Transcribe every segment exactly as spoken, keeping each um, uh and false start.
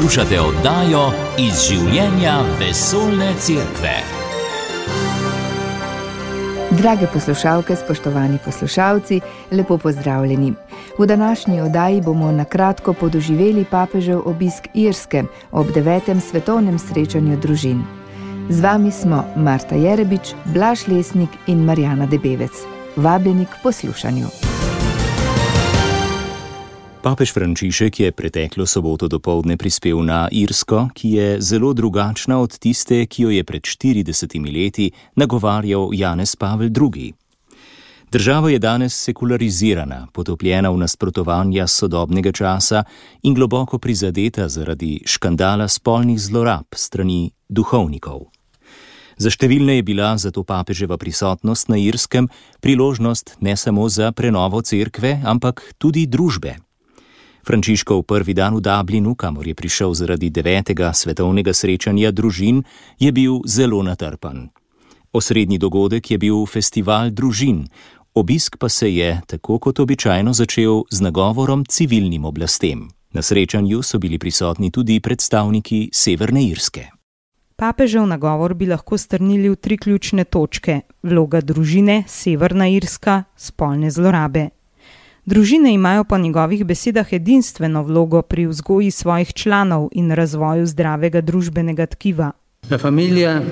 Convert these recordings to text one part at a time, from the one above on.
Poslušate oddajo Iz življenja vesoljne cerkve. Drage poslušalke, spoštovani poslušalci, lepo pozdravljeni. V današnji oddaji bomo na kratko podoživeli papežev obisk Irske ob devetem svetovnem srečanju družin. Z vami smo Marta Jerebič, Blaž Lesnik in Marjana Debevec. Vabljeni k poslušanju. Papež Frančišek je preteklo soboto dopoldne prispel na Irsko, ki je zelo drugačna od tiste, ki jo je pred štiridesetimi leti nagovarjal Janez Pavel drugi. Država je danes sekularizirana, potopljena v nasprotovanja sodobnega časa in globoko prizadeta zaradi škandala spolnih zlorab strani duhovnikov. Za številne je bila zato papeževa prisotnost na Irskem priložnost ne samo za prenovo cerkve, ampak tudi družbe. Frančiškov prvi dan v Dublinu, kamor je prišel zaradi devetega svetovnega srečanja družin, je bil zelo natrpan. Osrednji dogodek je bil festival družin, obisk pa se je, tako kot običajno, začel z nagovorom civilnim oblastem. Na srečanju so bili prisotni tudi predstavniki Severne Irske. Papežev nagovor bi lahko strnili v tri ključne točke: vloga družine, Severna Irska, spolne zlorabe. Družine imajo po njegovih besedah edinstveno vlogo pri vzgoji svojih članov in razvoju zdravega družbenega tkiva. La familia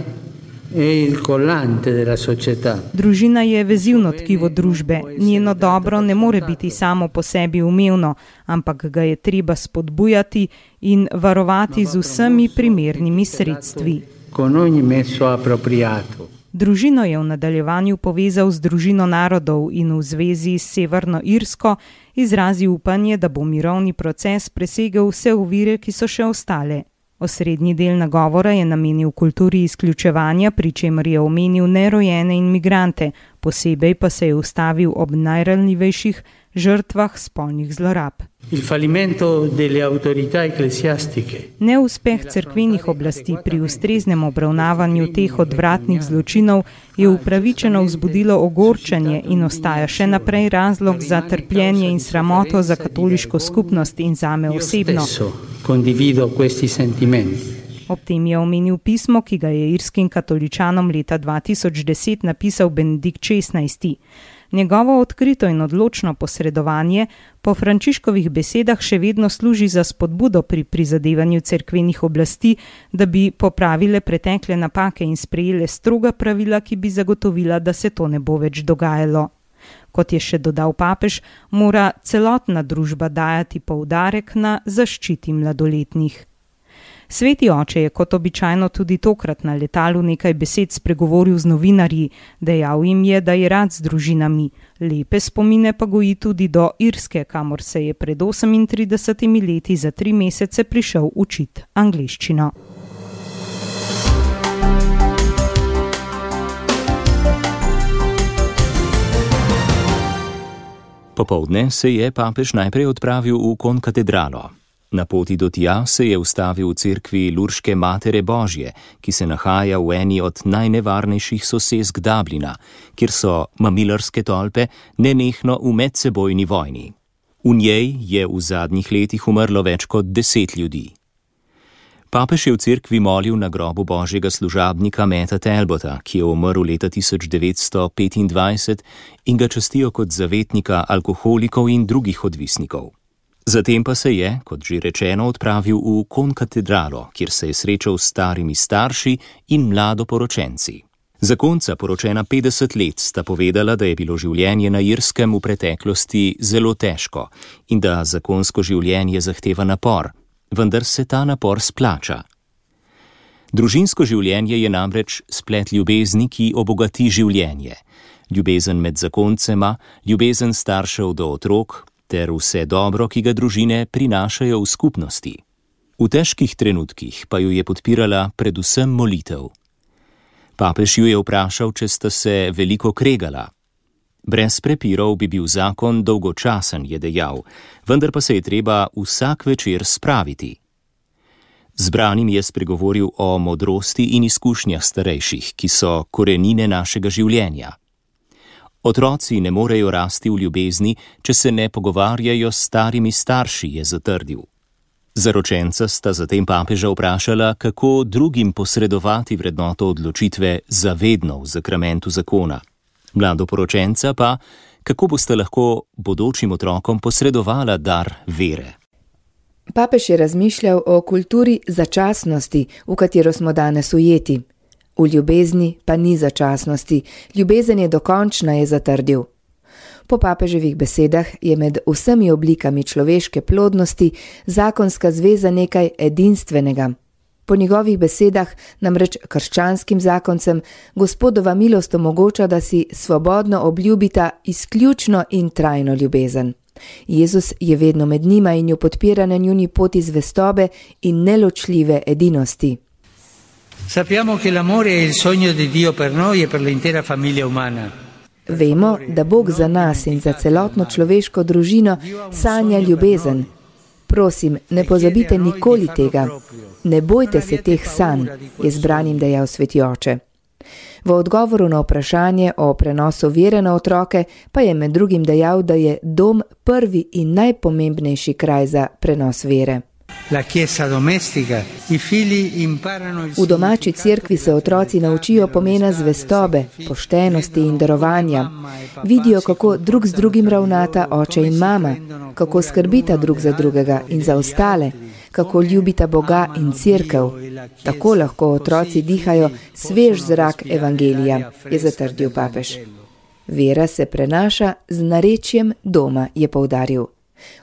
è il collante della società. Družina je vezivno tkivo družbe. Njeno dobro ne more biti samo po sebi umevno, ampak ga je treba spodbujati in varovati z vsemi primernimi sredstvi. Con ogni mezzo appropriato. Družino je v nadaljevanju povezal z družino narodov in v zvezi s Severno Irsko izrazil upanje, da bo mirovni proces presegel vse ovire, ki so še ostale. Osrednji del nagovora je namenil kulturi izključevanja, pri čemer je omenil nerojene in migrante, posebej pa se je ustavil ob najranljivejših žrtvah spolnih zlorab. Il fallimento delle autorità ecclesiastiche. Neuspeh cerkvenih oblasti pri ustreznem obravnavanju teh odvratnih zločinov je upravičeno vzbudilo ogorčenje in ostaja še naprej razlog za trpljenje in sramoto za katoliško skupnost in zame osebno. Condivido questi sentimenti. Ob tem je omenil pismo, ki ga je irskim katoličanom leta dva tisoč deset napisal Benedikt šestnajsti. Njegovo odkrito in odločno posredovanje po Frančiškovih besedah še vedno služi za spodbudo pri prizadevanju cerkvenih oblasti, da bi popravile pretekle napake in sprejele stroga pravila, ki bi zagotovila, da se to ne bo več dogajalo. Kot je še dodal papež, mora celotna družba dajati poudarek na zaščiti mladoletnih. Sveti oče je kot običajno tudi tokrat na letalu nekaj besed spregovoril z novinarji, dejal jim je, da je rad z družinami. Lepe spomine pa goji tudi do Irske, kamor se je pred osemintridesetimi leti za tri mesece prišel učit angleščino. Popoldne se je papež najprej odpravil v konkatedralo. Na poti do tja se je ustavil v cerkvi Lurške Matere Božje, ki se nahaja v eni od najnevarnejših sosesk Dublina, kjer so mamilarske tolpe nenehno v medsebojni vojni. V njej je v zadnjih letih umrlo več kot deset ljudi. Papež je v cerkvi molil na grobu božjega služabnika Meta Talbota, ki je umrl leta tisoč devetsto petindvajset in ga častijo kot zavetnika alkoholikov in drugih odvisnikov. Zatem pa se je, kot že rečeno, odpravil v konkatedralo, kjer se je srečal s starimi starši in mladoporočenci. Zakonca, poročena petdeset let, sta povedala, da je bilo življenje na Irskem v preteklosti zelo težko in da zakonsko življenje zahteva napor, vendar se ta napor splača. Družinsko življenje je namreč splet ljubezni, ki obogati življenje. Ljubezen med zakoncema, ljubezen staršev do otrok, ter vse dobro, ki ga družine prinašajo v skupnosti. V težkih trenutkih pa jo je podpirala predvsem molitev. Papež ju je vprašal, če sta se veliko kregala. Brez prepirov bi bil zakon dolgočasen, je dejal, vendar pa se je treba vsak večer spraviti. Zbranim je spregovoril o modrosti in izkušnjah starejših, ki so korenine našega življenja. Otroci ne morejo rasti v ljubezni, če se ne pogovarjajo s starimi starši, je zatrdil. Zaročenca sta zatem papeža vprašala, kako drugim posredovati vrednoto odločitve zavedno v zakramentu zakona. Mladoporočenca pa, kako boste lahko bodočim otrokom posredovala dar vere. Papež je razmišljal o kulturi začasnosti, v katero smo danes ujeti. V ljubezni pa ni začasnosti, ljubezen je dokončna, je zatrdil. Po papeževih besedah je med vsemi oblikami človeške plodnosti zakonska zveza nekaj edinstvenega. Po njegovih besedah namreč krščanskim zakoncem Gospodova milost omogoča, da si svobodno obljubita izključno in trajno ljubezen. Jezus je vedno med njima in jo podpira na njuni poti zvestobe in neločljive edinosti. Sappiamo che l'amore è il sogno di Dio per noi e per l'intera famiglia umana. Vemo, da Bog za nas in za celotno človeško družino sanja ljubezen. Prosim, ne pozabite nikoli tega. Ne bojte se teh sanj, je zbranim dejal Sveti oče. V odgovoru na vprašanje o prenosu vere na otroke pa je med drugim dejal, da je dom prvi in najpomembnejši kraj za prenos vere. V domači cerkvi se otroci naučijo pomena zvestobe, poštenosti in darovanja. Vidijo, kako drug z drugim ravnata oče in mama, kako skrbita drug za drugega in za ostale, kako ljubita Boga in cerkev. Tako lahko otroci dihajo svež zrak evangelija, je zatrdil papež. Vera se prenaša z narečjem doma, je poudaril.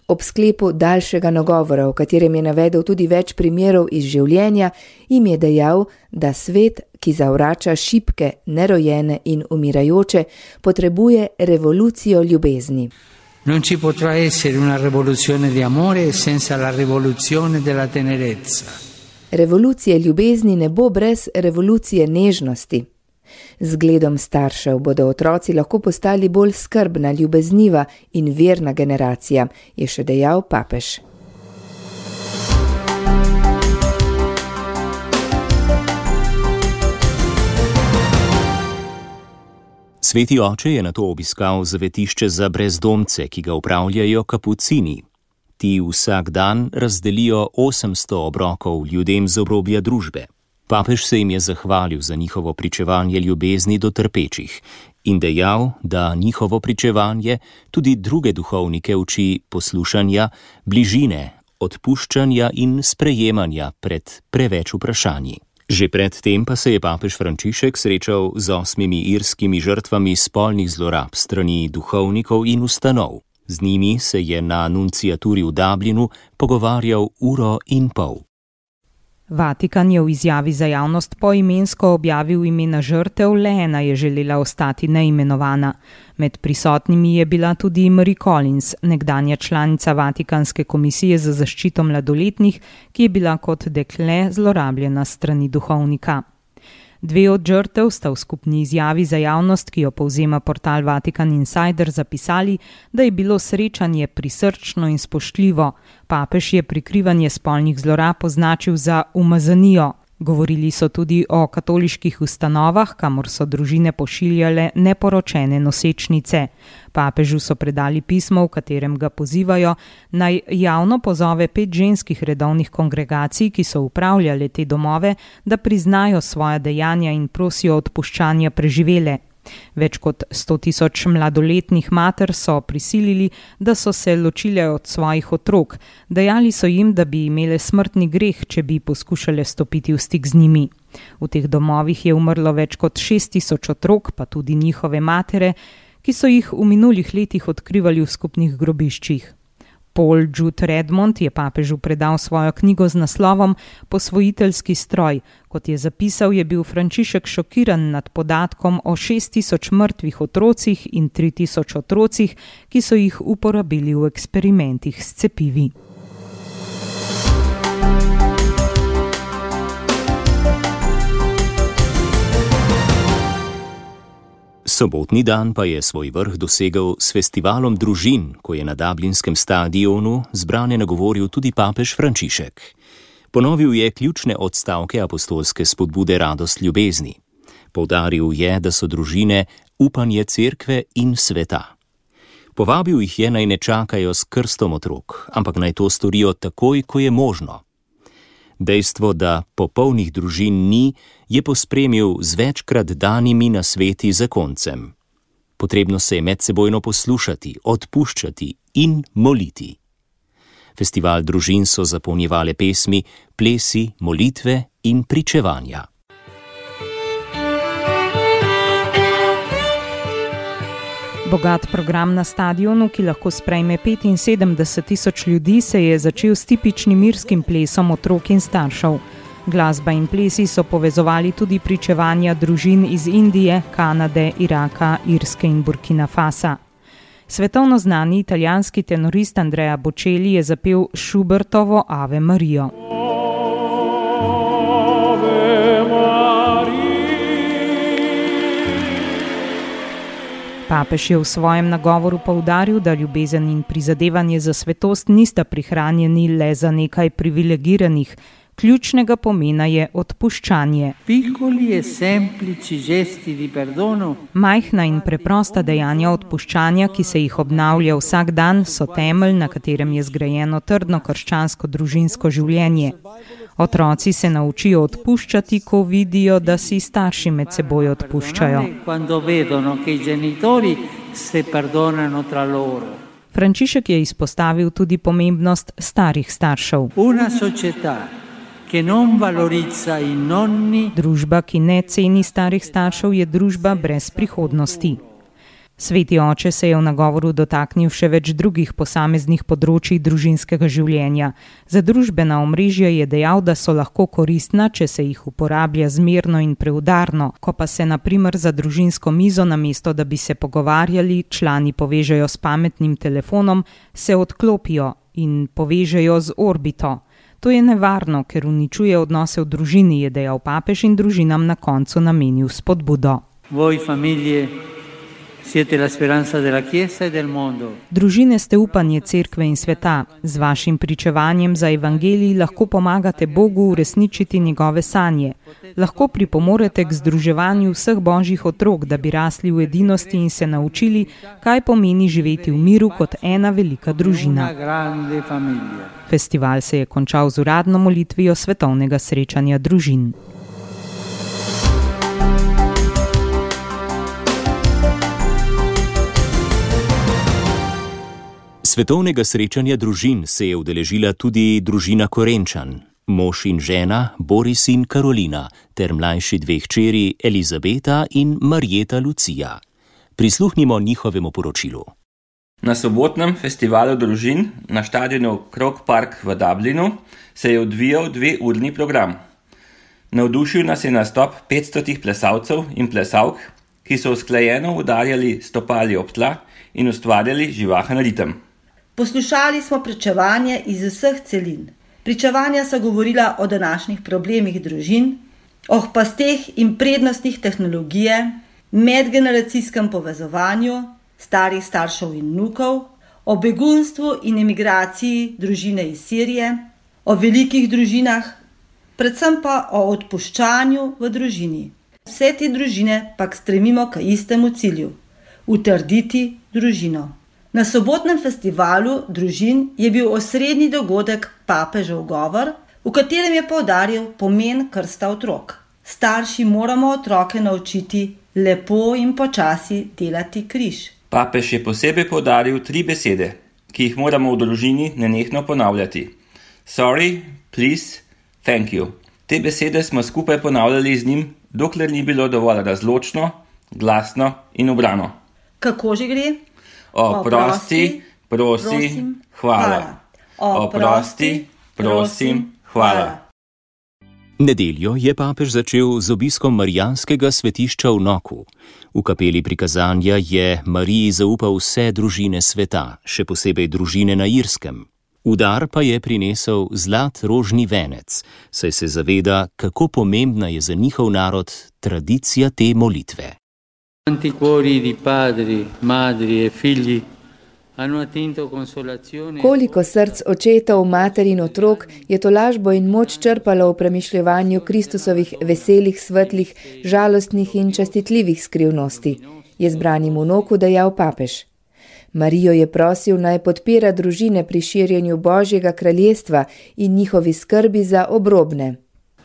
Ob sklepu daljšega nagovora, v katerem je navedel tudi več primerov iz življenja, jim je dejal, da svet, ki zavrača šibke, nerojene in umirajoče, potrebuje revolucijo ljubezni. Non ci potrà essere una rivoluzione di amore senza la rivoluzione della tenerezza. Revolucije ljubezni ne bo brez revolucije nežnosti. Z gledom staršev bodo otroci lahko postali bolj skrbna, ljubezniva in verna generacija, je še dejal papež. Sveti oče je nato obiskal zavetišče za brezdomce, ki ga upravljajo kapucini. Ti vsak dan razdelijo osemsto obrokov ljudem z obrobja družbe. Papež se jim je zahvalil za njihovo pričevanje ljubezni do trpečih in dejal, da njihovo pričevanje tudi druge duhovnike uči poslušanja, bližine, odpuščanja in sprejemanja pred preveč vprašanji. Že pred tem pa se je papež Frančišek srečal z osmimi irskimi žrtvami spolnih zlorab strani duhovnikov in ustanov. Z njimi se je na nunciaturi v Dublinu pogovarjal uro in pol. Vatikan je v izjavi za javnost poimensko objavil imena žrtev, le ena je želela ostati neimenovana. Med prisotnimi je bila tudi Marie Collins, nekdanja članica Vatikanske komisije za zaščito mladoletnih, ki je bila kot dekle zlorabljena strani duhovnika. Dve od žrtev sta v skupni izjavi za javnost, ki jo povzema portal Vatikan Insider, zapisali, da je bilo srečanje prisrčno in spoštljivo. Papež je prikrivanje spolnih zlorab označil za umazanijo. Govorili so tudi o katoliških ustanovah, kamor so družine pošiljale neporočene nosečnice. Papežu so predali pismo, v katerem ga pozivajo, naj javno pozove pet ženskih redovnih kongregacij, ki so upravljale te domove, da priznajo svoja dejanja in prosijo odpuščanja preživele. Več kot sto tisoč mladoletnih mater so prisilili, da so se ločile od svojih otrok. Dejali so jim, da bi imele smrtni greh, če bi poskušale stopiti v stik z njimi. V teh domovih je umrlo več kot šest tisoč otrok, pa tudi njihove matere, ki so jih v minulih letih odkrivali v skupnih grobiščih. Paul Jude Redmond je papežu predal svojo knjigo z naslovom Posvojiteljski stroj. Kot je zapisal, je bil Frančišek šokiran nad podatkom o šest tisoč mrtvih otrocih in tri tisoč otrocih, ki so jih uporabili v eksperimentih s cepivi. Sobotni dan pa je svoj vrh dosegel s festivalom družin, ko je na dublinskem stadionu zbrane nagovoril tudi papež Frančišek. Ponovil je ključne odstavke apostolske spodbude Radost ljubezni. Poudaril je, da so družine upanje cerkve in sveta. Povabil jih je, naj ne čakajo s krstom otrok, ampak naj to storijo takoj, ko je možno. Dejstvo, da popolnih družin ni, je pospremil z večkrat danimi nasveti zakoncem. Potrebno se je medsebojno poslušati, odpuščati in moliti. Festival družin so zapolnjevale pesmi, plesi, molitve in pričevanja. Bogat program na stadionu, ki lahko sprejme petinsedemdeset tisoč ljudi, se je začel s tipičnim irskim plesom otrok in staršev. Glasba in plesi so povezovali tudi pričevanja družin iz Indije, Kanade, Iraka, Irske in Burkina Fasa. Svetovno znani italijanski tenorist Andrea Bocelli je zapel Schubertovo Ave Marijo. Papež je v svojem nagovoru poudaril, da ljubezen in prizadevanje za svetost nista prihranjeni le za nekaj privilegiranih. Ključnega pomena je odpuščanje. Majhna in preprosta dejanja odpuščanja, ki se jih obnavlja vsak dan, so temelj, na katerem je zgrajeno trdno krščansko družinsko življenje. Otroci se naučijo odpuščati, ko vidijo, da si starši med seboj odpuščajo. Frančišek je izpostavil tudi pomembnost starih staršev. Družba, ki ne ceni starih staršev, je družba brez prihodnosti. Sveti oče se je v nagovoru dotaknil še več drugih posameznih področij družinskega življenja. Za družbena omrežja je dejal, da so lahko koristna, če se jih uporablja zmerno in preudarno, ko pa se na primer za družinsko mizo, namesto da bi se pogovarjali, člani povežejo s pametnim telefonom, se odklopijo in povežejo z orbito. To je nevarno, ker uničuje odnose v družini, je dejal papež in družinam na koncu namenil spodbudo. Voi famiglie siete la speranza della Chiesa e del mondo. Družine ste upanje cerkve in sveta. Z vašim pričevanjem za evangelij lahko pomagate Bogu uresničiti njegove sanje. Lahko pripomorete k združevanju vseh božjih otrok, da bi rasli v edinosti in se naučili, kaj pomeni živeti v miru kot ena velika družina. Festival se je končal z uradno molitvijo svetovnega srečanja družin. Svetovnega srečanja družin se je udeležila tudi družina Korenčan, mož in žena Boris in Karolina, ter mlajši dve hčeri Elizabeta in Marjeta Lucija. Prisluhnimo njihovemu poročilu. Na sobotnem festivalu družin na štadionu Croke Park v Dublinu se je odvijal dveurni program. Navdušil nas je nastop petstotih plesalcev in plesalk, ki so usklajeno udarjali stopali ob tla in ustvarjali živahen ritem. Poslušali smo pričevanje iz vseh celin. Pričevanja so govorila o današnjih problemih družin, o pasteh in prednostih tehnologije, medgeneracijskem povezovanju, starih staršev in vnukov, o begunstvu in emigraciji družine iz Sirije, o velikih družinah, predvsem pa o odpuščanju v družini. Vse te družine pa stremimo k istemu cilju – utrditi družino. Na sobotnem festivalu družin je bil osrednji dogodek papežev govor, v katerem je poudaril pomen krsta otrok. Starši moramo otroke naučiti lepo in počasi delati križ. Papež je posebej poudaril tri besede, ki jih moramo v družini nenehno ponavljati. Sorry, please, thank you. Te besede smo skupaj ponavljali z njim, dokler ni bilo dovolj razločno, glasno in ubrano. Kako že gre? Oprosti, prosim, hvala. Oprosti, prosim, hvala. Nedeljo je papež začel z obiskom marijanskega svetišča v Knoku. V kapeli prikazanja je Mariji zaupal vse družine sveta, še posebej družine na Irskem. Udar pa je prinesel zlat rožni venec, saj se zaveda, kako pomembna je za njihov narod tradicija te molitve. Quanti cuori di padri, madri e figli hanno attinto consolazione. Koliko src očetov, mater in otrok je tolažbo in moč črpalo v premišljevanju Kristusovih veselih, svetlih, žalostnih in častitljivih skrivnosti, je zbranim v Knoku dejal papež. Marijo je prosil, naj podpira družine pri širjenju Božjega kraljestva in njihovi skrbi za obrobne.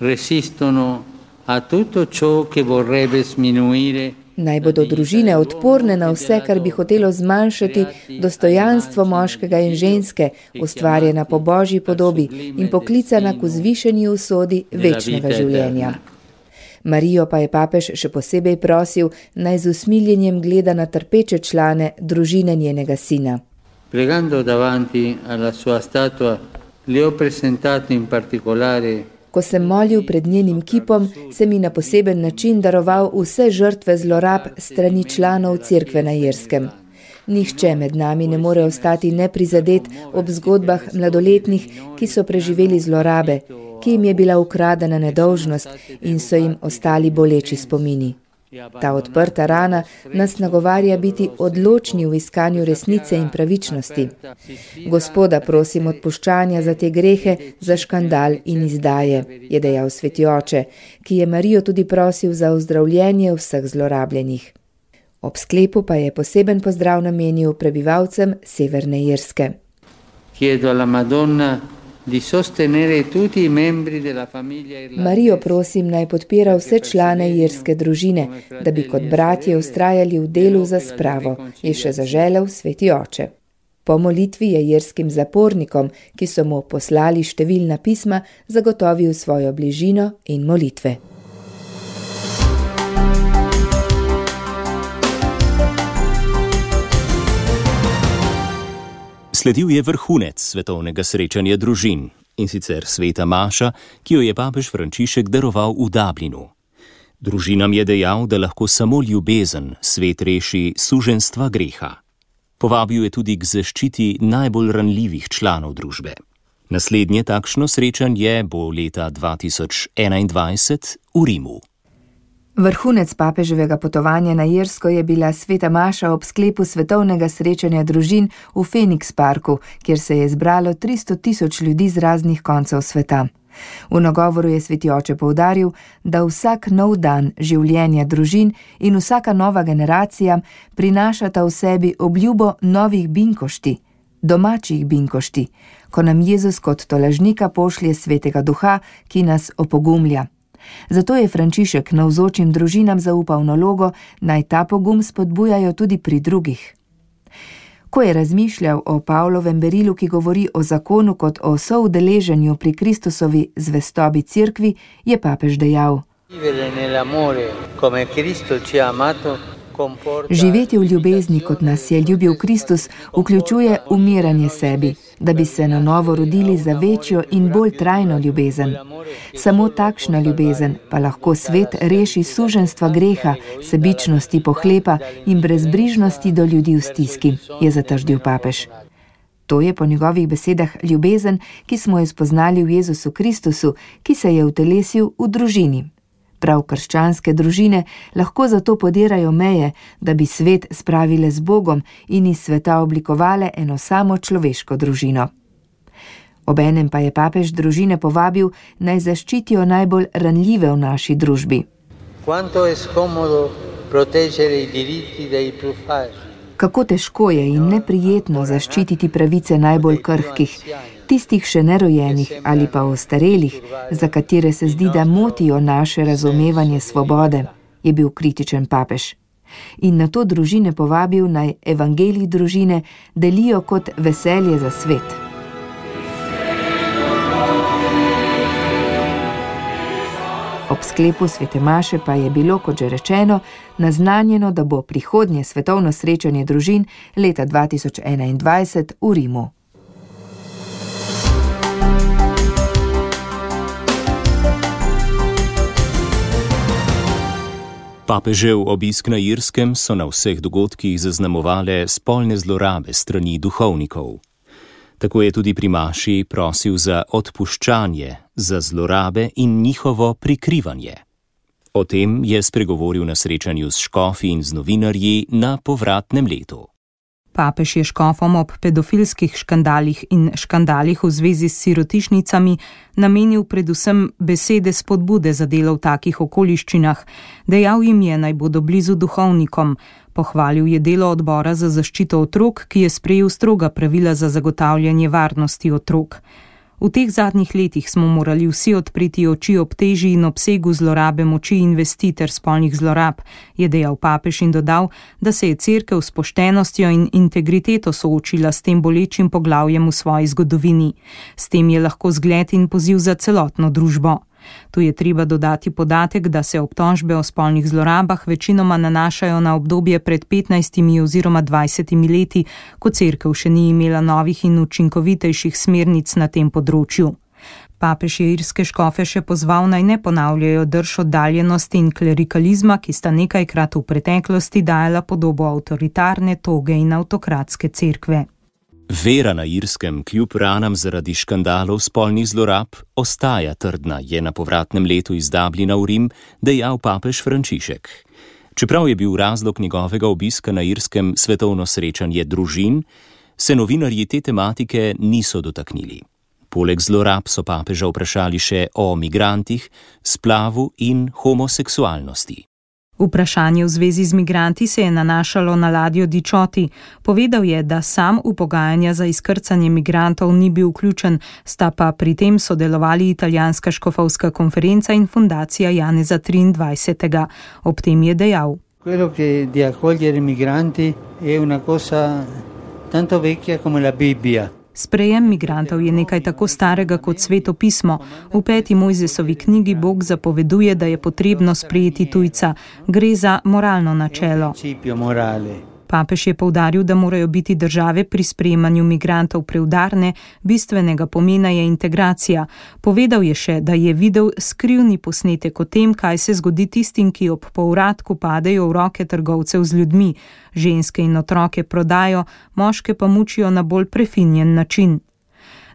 Resistono a tutto ciò che vorrebbe sminuire. Naj bodo družine odporne na vse, kar bi hotelo zmanjšati dostojanstvo moškega in ženske, ustvarjena po Božji podobi in poklicana k vzvišeni usodi večnega življenja. Marijo pa je papež še posebej prosil, naj z usmiljenjem gleda na trpeče člane družine njenega sina. Pregando davanti alla sua statua, le ho presentato in particolare. Ko sem molil pred njenim kipom, sem mi na poseben način daroval vse žrtve zlorab strani članov cerkve na Irskem. Nihče med nami ne more ostati neprizadet ob zgodbah mladoletnih, ki so preživeli zlorabe, ki jim je bila ukradena nedolžnost in so jim ostali boleči spomini. Ta odprta rana nas nagovarja biti odločni v iskanju resnice in pravičnosti. Gospoda prosim odpuščanja za te grehe, za škandal in izdaje, je dejal sveti oče, ki je Marijo tudi prosil za ozdravljenje vseh zlorabljenih. Ob sklepu pa je poseben pozdrav namenil prebivalcem Severne Irske. Chiedo alla Madonna di sostenere tutti i membri della famiglia irlandese. Marijo prosim, naj podpira vse člane irske družine, da bi kot bratje ustrajali v delu za spravo, je še zaželel sveti oče. Po molitvi je irskim zapornikom, ki so mu poslali številna pisma, zagotovil svojo bližino in molitve. Sledil je vrhunec svetovnega srečanja družin, in sicer sveta maša, ki jo je papež Frančišek daroval v Dublinu. Družinam je dejal, da lahko samo ljubezen svet reši suženstva greha. Povabil je tudi k zaščiti najbolj ranljivih članov družbe. Naslednje takšno srečanje bo leta dva tisoč enaindvajset v Rimu. Vrhunec papeževega potovanja na Irsko je bila sveta maša ob sklepu svetovnega srečanja družin v Phoenix Parku, kjer se je zbralo tristo tisoč ljudi z raznih koncev sveta. V nagovoru je sveti oče poudaril, da vsak nov dan življenja družin in vsaka nova generacija prinašata v sebi obljubo novih binkošti, domačih binkošti, ko nam Jezus kot tolažnika pošlje svetega duha, ki nas opogumlja. Zato je Frančišek navzočim družinam zaupal nalogo, naj ta pogum spodbujajo tudi pri drugih. Ko je razmišljal o Pavlovem berilu, ki govori o zakonu kot o soudeleženju pri Kristusovi zvestobi cerkvi, je papež dejal: Živeti v ljubezni, kot nas je ljubil Kristus, vključuje umiranje sebi, da bi se na novo rodili za večjo in bolj trajno ljubezen. Samo takšna ljubezen pa lahko svet reši suženstva greha, sebičnosti, pohlepa in brezbrižnosti do ljudi v stiski, je zatrdil papež. To je po njegovih besedah ljubezen, ki smo jo spoznali v Jezusu Kristusu, ki se je utelesil v družini. Prav krščanske družine lahko zato podirajo meje, da bi svet spravile z Bogom in iz sveta oblikovale eno samo človeško družino. Obenem pa je papež družine povabil, naj zaščitijo najbolj ranljive v naši družbi. Kako težko je in neprijetno zaščititi pravice najbolj krhkih, tistih še nerojenih ali pa ostarelih, za katere se zdi, da motijo naše razumevanje svobode, je bil kritičen papež. In na to družine povabil, naj evangelij družine delijo kot veselje za svet. Ob sklepu svete maše pa je bilo, kot že rečeno, naznanjeno, da bo prihodnje svetovno srečanje družin leta dva tisoč enaindvajset v Rimu. Papežev obisk na Irskem so na vseh dogodkih zaznamovale spolne zlorabe strani duhovnikov. Tako je tudi pri maši prosil za odpuščanje, za zlorabe in njihovo prikrivanje. O tem je spregovoril na srečanju s škofi in z novinarji na povratnem letu. Papež je škofom ob pedofilskih škandalih in škandalih v zvezi s sirotišnicami namenil predvsem besede spodbude za delo v takih okoliščinah. Dejal jim je, naj bodo blizu duhovnikom. Pohvalil je delo odbora za zaščito otrok, ki je sprejel stroga pravila za zagotavljanje varnosti otrok. V teh zadnjih letih smo morali vsi odpreti oči ob teži in obsegu zlorabe moči in vesti ter spolnih zlorab, je dejal papež in dodal, da se je cerkev s poštenostjo in integriteto soočila s tem bolečim poglavjem v svoji zgodovini. S tem je lahko zgled in poziv za celotno družbo. Tu je treba dodati podatek, da se obtožbe o spolnih zlorabah večinoma nanašajo na obdobje pred petnajstimi oziroma dvajsetimi leti, ko cerkev še ni imela novih in učinkovitejših smernic na tem področju. Papež je irske škofe še pozval, naj ne ponavljajo drž oddaljenosti in klerikalizma, ki sta nekajkrat v preteklosti dajala podobo avtoritarne, toge in avtokratske cerkve. Vera na Irskem kljub ranam zaradi škandalov spolnih zlorab ostaja trdna, je na povratnem letu iz Dublina v Rim dejal papež Frančišek. Čeprav je bil razlog njegovega obiska na Irskem svetovno srečanje družin, se novinarji te tematike niso dotaknili. Poleg zlorab so papeža vprašali še o migrantih, splavu in homoseksualnosti. Vprašanje v zvezi z migranti se je nanašalo na ladjo Dičoti. Povedal je, da sam v pogajanja za izkrcanje migrantov ni bil vključen, sta pa pri tem sodelovali italijanska škofovska konferenca in fundacija Janeza triindvajsetega. Ob tem je dejal: Quello che di accogliere migranti è una cosa tanto vecchia come la Bibbia. Sprejem migrantov je nekaj tako starega kot Sveto pismo. V peti Mojzesovi knjigi Bog zapoveduje, da je potrebno sprejeti tujca. Gre za moralno načelo. Papež je poudaril, da morajo biti države pri sprejemanju migrantov preudarne, bistvenega pomena je integracija. Povedal je še, da je videl skrivni posnetek o tem, kaj se zgodi tistim, ki ob povratku padejo v roke trgovcev z ljudmi. Ženske in otroke prodajo, moške pa mučijo na bolj prefinjen način.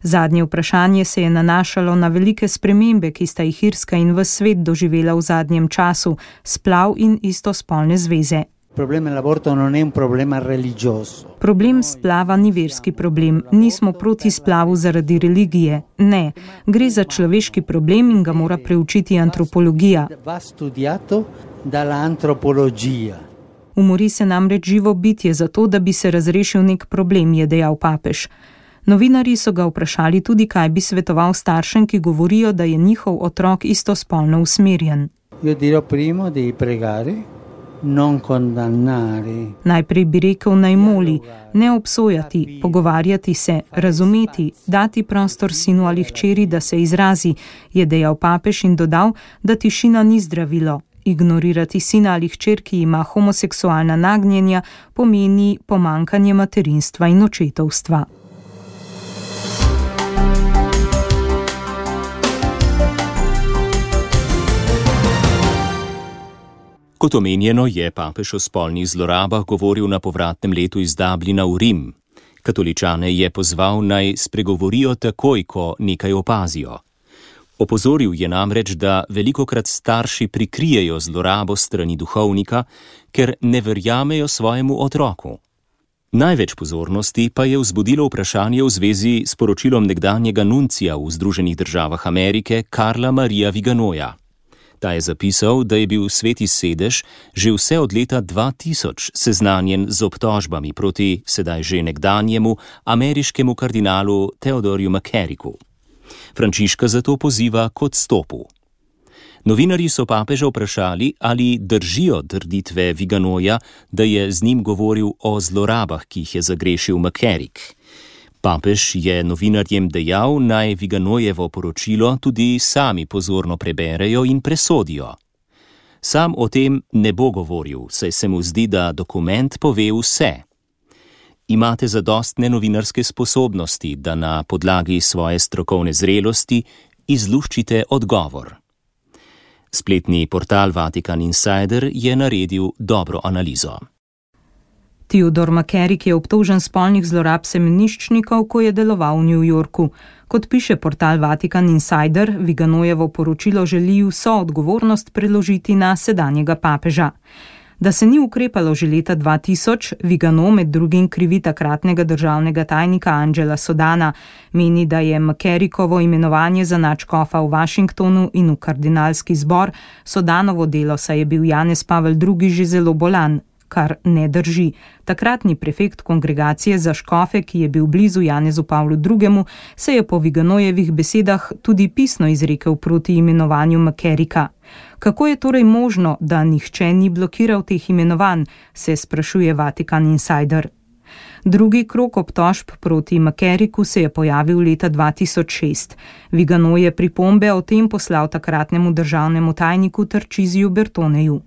Zadnje vprašanje se je nanašalo na velike spremembe, ki sta jih Irska in ves svet doživela v zadnjem času, splav in istospolne zveze. Problem splava ni verski problem, nismo proti splavu zaradi religije, ne, gre za človeški problem in ga mora preučiti antropologija. Umori se namreč živo bitje zato, da bi se razrešil nek problem, je dejal papež. Novinarji so ga vprašali tudi, kaj bi svetoval staršem, ki govorijo, da je njihov otrok istospolno usmerjen. Io dirò primo di pregare. Non condannare. Najprej bi rekel, naj moli, ne obsojati, pogovarjati se, razumeti, dati prostor sinu ali hčeri, da se izrazi, je dejal papež in dodal, da tišina ni zdravilo. Ignorirati sina ali hčer, ki ima homoseksualna nagnjenja, pomeni pomanjkanje materinstva in očetovstva. Kot omenjeno, je papež o spolnih zlorabah govoril na povratnem letu iz Dublina v Rim. Katoličane je pozval, naj spregovorijo takoj, ko nekaj opazijo. Opozoril je namreč, da velikokrat starši prikrijejo zlorabo strani duhovnika, ker ne verjamejo svojemu otroku. Največ pozornosti pa je vzbudilo vprašanje v zvezi s poročilom nekdanjega nuncija v Združenih državah Amerike Karla Maria Viganoja. Ta je zapisal, da je bil Sveti sedež že vse od leta dva tisoč seznanjen z obtožbami proti sedaj že nekdanjemu ameriškemu kardinalu Theodorju McCarricku. Frančiška zato poziva k odstopu. Novinarji so papeža vprašali, ali držijo trditve Viganoja, da je z njim govoril o zlorabah, ki jih je zagrešil McCarrick. Papež je novinarjem dejal, naj Viganojevo poročilo tudi sami pozorno preberejo in presodijo. Sam o tem ne bo govoril, saj se mu zdi, da dokument pove vse. Imate zadostne novinarske sposobnosti, da na podlagi svoje strokovne zrelosti izluščite odgovor. Spletni portal Vatican Insider je naredil dobro analizo. Theodor McCarrick je obtožen spolnih zlorab semeniščnikov, ko je deloval v New Yorku. Kot piše portal Vatican Insider, Viganojevo poročilo želi vso odgovornost preložiti na sedanjega papeža. Da se ni ukrepalo že leta dva tisoč, Vigano med drugim krivi takratnega državnega tajnika Angela Sodana. Meni, da je McCarrickovo imenovanje za nadškofa v Washingtonu in v kardinalski zbor Sodanovo delo, saj je bil Janez Pavel drugi že zelo bolan, kar ne drži. Takratni prefekt kongregacije za škofe, ki je bil blizu Janezu Pavlu drugemu, se je po Viganojevih besedah tudi pisno izrekel proti imenovanju McCarricka. Kako je torej možno, da nihče ni blokiral teh imenovanj, se sprašuje Vatikan Insider. Drugi krog obtožb proti McCarricku se je pojavil leta dva tisoč šest. Vigano je pripombe o tem poslal takratnemu državnemu tajniku Tarcisiju Bertoneju.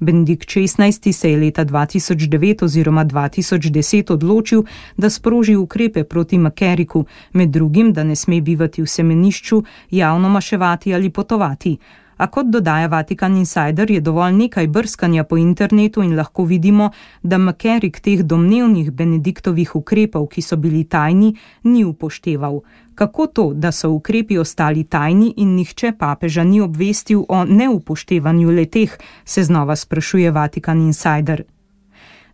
Benedikt šestnajsti se je leta dva tisoč devet oziroma dva tisoč deset odločil, da sproži ukrepe proti McCarricku, med drugim, da ne sme bivati v semenišču, javno maševati ali potovati. A kot dodaja Vatikan Insider, je dovolj nekaj brskanja po internetu in lahko vidimo, da McCarrick teh domnevnih Benediktovih ukrepov, ki so bili tajni, ni upošteval. Kako to, da so ukrepi ostali tajni in nihče papeža ni obvestil o neupoštevanju leteh, se znova sprašuje Vatikan Insider.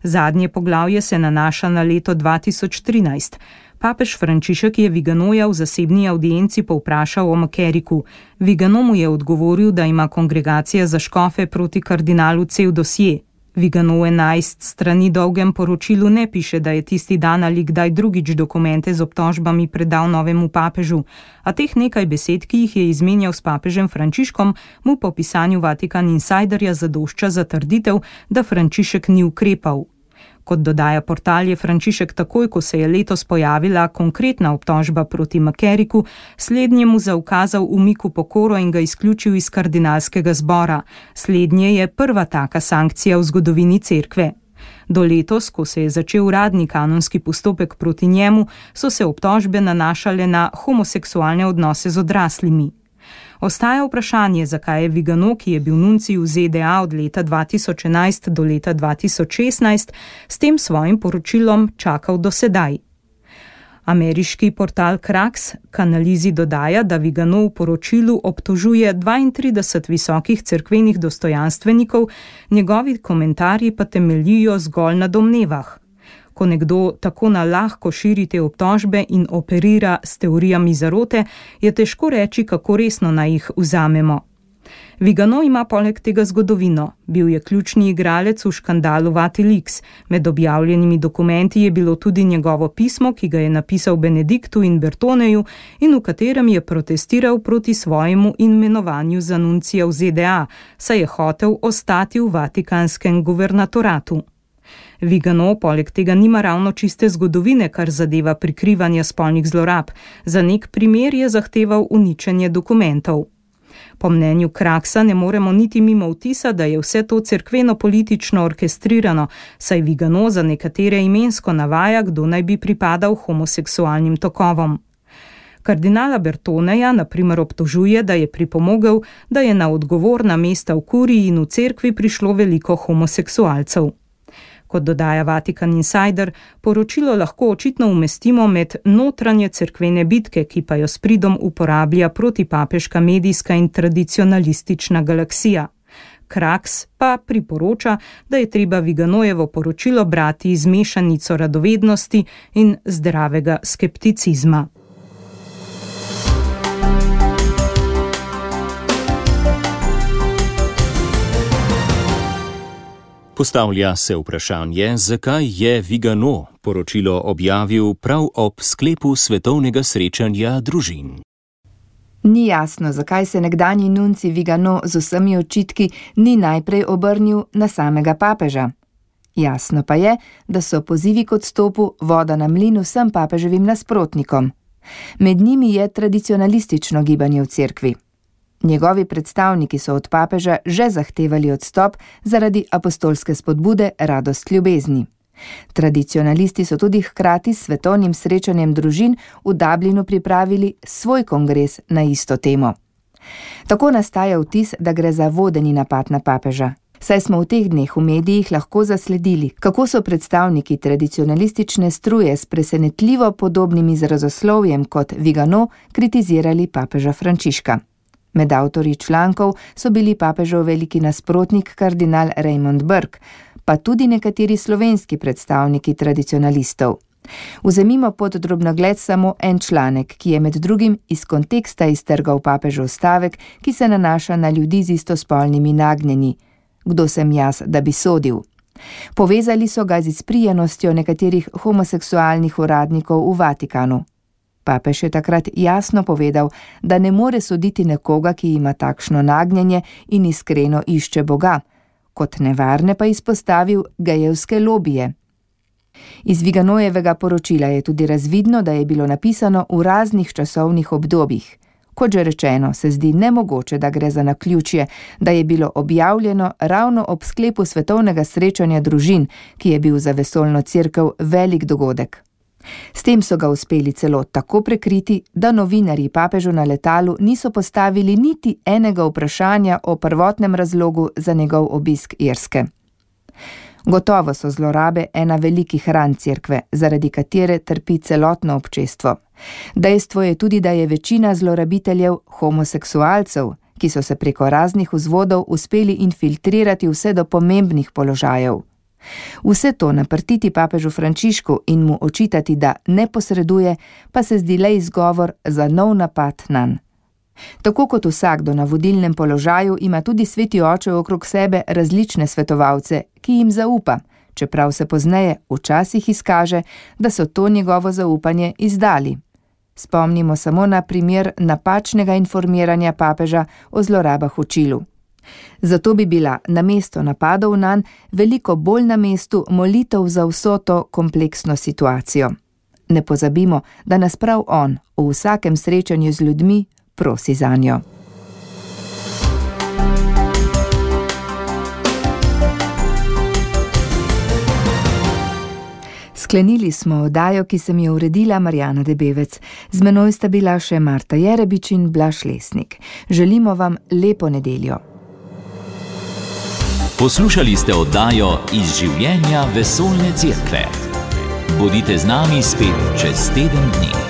Zadnje poglavje se nanaša na leto dva tisoč trinajst. Papež Frančišek je Viganoja v zasebni audienci povprašal o McCarricku. Vigano mu je odgovoril, da ima kongregacija za škofe proti kardinalu cel dosje. Vigano v enajst strani dolgem poročilu ne piše, da je tisti dan ali kdaj drugič dokumente z obtožbami predal novemu papežu, a teh nekaj besed, ki jih je izmenjal s papežem Frančiškom, mu po pisanju Vatikan Insiderja zadošča za trditev, da Frančišek ni ukrepal. Kot dodaja portal, je Frančišek takoj, ko se je letos pojavila konkretna obtožba proti McCarricku, slednjemu zaukazal umik v pokoro in ga izključil iz kardinalskega zbora. Slednje je prva taka sankcija v zgodovini cerkve. Do letos, ko se je začel uradni kanonski postopek proti njemu, so se obtožbe nanašale na homoseksualne odnose z odraslimi. Ostaja vprašanje, zakaj je Vigano, ki je bil nuncij v Z D A od leta dva tisoč enajst do leta dva tisoč šestnajst, s tem svojim poročilom čakal do sedaj. Ameriški portal Krax k analizi dodaja, da Vigano v poročilu obtožuje dvaintrideset visokih cerkvenih dostojanstvenikov, njegovi komentarji pa temeljijo zgolj na domnevah. Ko nekdo tako na lahko širi te obtožbe in operira s teorijami zarote, je težko reči, kako resno naj jih vzamemo. Vigano ima poleg tega zgodovino. Bil je ključni igralec v škandalu Vatilix. Med objavljenimi dokumenti je bilo tudi njegovo pismo, ki ga je napisal Benediktu in Bertoneju in v katerem je protestiral proti svojemu imenovanju za nuncija v Z D A, saj je hotel ostati v vatikanskem guvernatoratu. Vigano poleg tega nima ravno čiste zgodovine, kar zadeva prikrivanje spolnih zlorab. Za nek primer je zahteval uničenje dokumentov. Po mnenju Kraksa ne moremo niti mimo vtisa, da je vse to cerkveno-politično orkestrirano, saj Vigano za nekatere imensko navaja, kdo naj bi pripadal homoseksualnim tokovom. Kardinala Bertoneja na primer obtožuje, da je pripomogel, da je na odgovorna mesta v kuriji in v cerkvi prišlo veliko homoseksualcev. Kot dodaja Vatikan Insider, poročilo lahko očitno umestimo med notranje cerkvene bitke, ki pa jo s pridom uporablja protipapeška medijska in tradicionalistična galaksija. Kraks pa priporoča, da je treba Viganojevo poročilo brati z mešanico radovednosti in zdravega skepticizma. Postavlja se vprašanje, zakaj je Vigano poročilo objavil prav ob sklepu svetovnega srečanja družin. Ni jasno, zakaj se nekdanji nuncij Vigano z vsemi očitki ni najprej obrnil na samega papeža. Jasno pa je, da so pozivi k odstopu voda na mlin vsem papeževim nasprotnikom. Med njimi je tradicionalistično gibanje v cerkvi. Njegovi predstavniki so od papeža že zahtevali odstop zaradi apostolske spodbude Radost ljubezni. Tradicionalisti so tudi hkrati s svetovnim srečanjem družin v Dublinu pripravili svoj kongres na isto temo. Tako nastaja vtis, da gre za vodeni napad na papeža. Saj smo v teh dneh v medijih lahko zasledili, kako so predstavniki tradicionalistične struje s presenetljivo podobnim izrazoslovjem kot Vigano kritizirali papeža Frančiška. Med avtorji člankov so bili papežev veliki nasprotnik kardinal Raymond Burke, pa tudi nekateri slovenski predstavniki tradicionalistov. Vzemimo pod drobnogled samo en članek, ki je med drugim iz konteksta iztrgal papežev stavek, ki se nanaša na ljudi z istospolnimi nagnjenji. Kdo sem jaz, da bi sodil? Povezali so ga z izprijenostjo nekaterih homoseksualnih uradnikov v Vatikanu. Papež je takrat jasno povedal, da ne more soditi nekoga, ki ima takšno nagnjenje in iskreno išče Boga. Kot nevarne pa izpostavil gejevske lobije. Iz Viganojevega poročila je tudi razvidno, da je bilo napisano v raznih časovnih obdobjih. Kot že rečeno, se zdi nemogoče, da gre za naključje, da je bilo objavljeno ravno ob sklepu svetovnega srečanja družin, ki je bil za vesoljno cerkev velik dogodek. S tem so ga uspeli celo tako prekriti, da novinarji papežu na letalu niso postavili niti enega vprašanja o prvotnem razlogu za njegov obisk Irske. Gotovo so zlorabe ena velikih ran cerkve, zaradi katere trpi celotno občestvo. Dejstvo je tudi, da je večina zlorabiteljev homoseksualcev, ki so se preko raznih vzvodov uspeli infiltrirati vse do pomembnih položajev. Vse to naprtiti papežu Frančišku in mu očitati, da ne posreduje, pa se zdi le izgovor za nov napad nanj. Tako kot vsakdo na vodilnem položaju ima tudi sveti oče okrog sebe različne svetovalce, ki jim zaupa, čeprav se pozneje včasih izkaže, da so to njegovo zaupanje izdali. Spomnimo samo na primer napačnega informiranja papeža o zlorabah v Čilu. Zato bi bila namesto napadov nanj veliko bolj na mestu molitev za vso to kompleksno situacijo. Ne pozabimo, da nas prav on v vsakem srečanju z ljudmi prosi zanjo. Sklenili smo oddajo, ki sem jo uredila Marjana Debevec. Z menoj sta bila še Marta Jerebič in Blaž Lesnik. Želimo vam lepo nedeljo. Poslušali ste oddajo Iz življenja vesoljne cerkve. Bodite z nami spet čez teden dni.